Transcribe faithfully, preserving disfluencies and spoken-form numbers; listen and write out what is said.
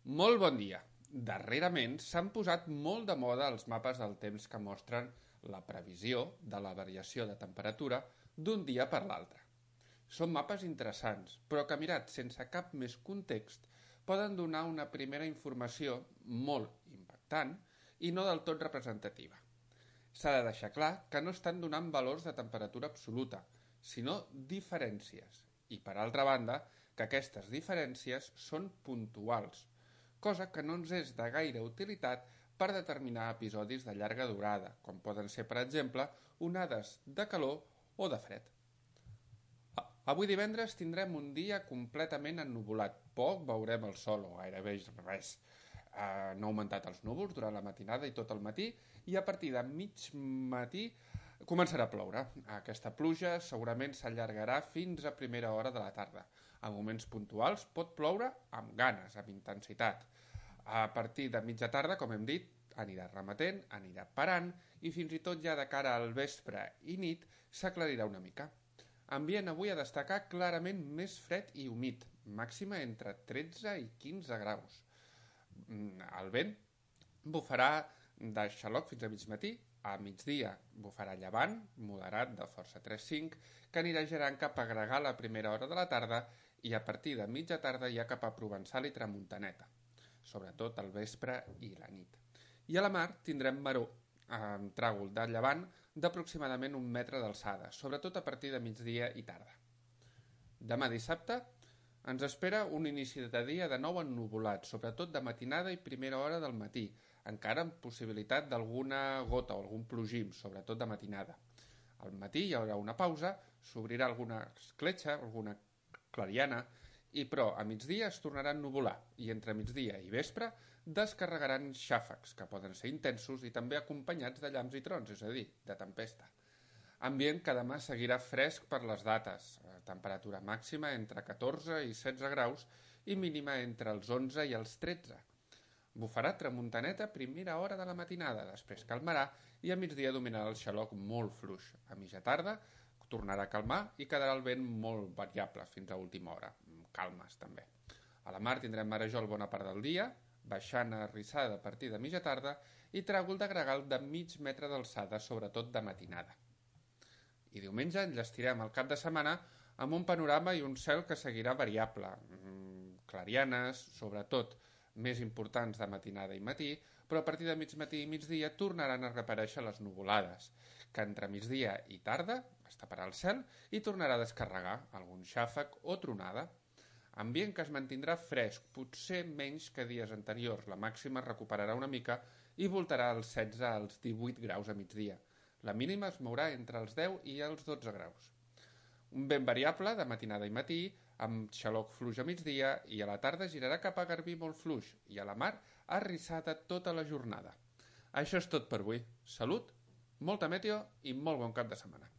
Molt bon dia. Darrerament s'han posat molt de moda els mapes del temps que mostren la previsió de la variació de temperatura d'un dia per l'altre. Són mapes interessants, però que mirats sense cap més context poden donar una primera informació molt impactant i no del tot representativa. S'ha de deixar clar que no estan donant valors de temperatura absoluta, sinó diferències, i per altra banda que aquestes diferències són puntuals, cosa que no ens és de gaire utilitat per determinar episodis de llarga durada, com poden ser, per exemple, onades de calor o de fred. Avui divendres tindrem un dia completament ennuvolat. Poc veurem el sol, o gairebé res. Uh, no ha augmentat els núvols durant la matinada i tot el matí, i a partir de mig matí començarà a ploure. Aquesta pluja segurament s'allargarà fins a primera hora de la tarda. A moments puntuals pot ploure amb ganes, amb intensitat. A partir de mitja tarda, com hem dit, anirà remetent, anirà parant, i fins i tot ja de cara al vespre i nit s'aclarirà una mica. Ambient avui a destacar clarament més fred i humit, màxima entre tretze i quinze graus. El vent bufarà de xaloc fins a mig matí, a migdia bufarà llevant, moderat de força tres cinc, que anirà girant cap a Gregal a primera hora de la tarda i a partir de mitja tarda ja cap a Provençal i Tramuntaneta, sobretot al vespre i la nit. I a la mar tindrem maró, amb tràgol de llevant d'aproximadament un metre d'alçada, sobretot a partir de migdia i tarda. Demà dissabte ens espera un inici de dia de nou ennuvolat, sobretot de matinada i primera hora del matí, encara amb possibilitat d'alguna gota o algun plogim, sobretot de matinada. Al matí hi haurà una pausa, s'obrirà alguna escletxa, alguna clariana, i però a migdia es tornarà a ennuvolar i entre migdia i vespre descarregaran xàfecs, que poden ser intensos i també acompanyats de llamps i trons, és a dir, de tempesta. Ambient que demà seguirà fresc per les dates, temperatura màxima entre catorze i setze graus i mínima entre els onze i els tretze. Bufarà tramuntaneta a primera hora de la matinada, després calmarà i a migdia dominarà el xaloc molt fluix. A mitja tarda tornarà a calmar i quedarà el vent molt variable fins a última hora, calmes també. A la mar tindrem marejol bona part del dia, baixant a rissada a partir de mitja tarda i tràgol de gregal de mig metre d'alçada, sobretot de matinada. I diumenge enllestirem el cap de setmana amb un panorama i un cel que seguirà variable, clarianes, sobretot més importants de matinada i matí, però a partir de mig matí i migdia tornaran a reaparèixer les nuvolades, que entre migdia i tarda es taparà el cel i tornarà a descarregar algun xàfec o tronada. Ambient que es mantindrà fresc, potser menys que dies anteriors. La màxima es recuperarà una mica i voltarà als setze als divuit graus a migdia. La mínima es mourà entre els deu i els dotze graus. Un vent variable de matinada i matí, amb xaloc fluix a migdia, i a la tarda girarà cap a Garbí molt fluix, i a la mar arrissada tota la jornada. Això és tot per avui. Salut, molta meteo i molt bon cap de setmana.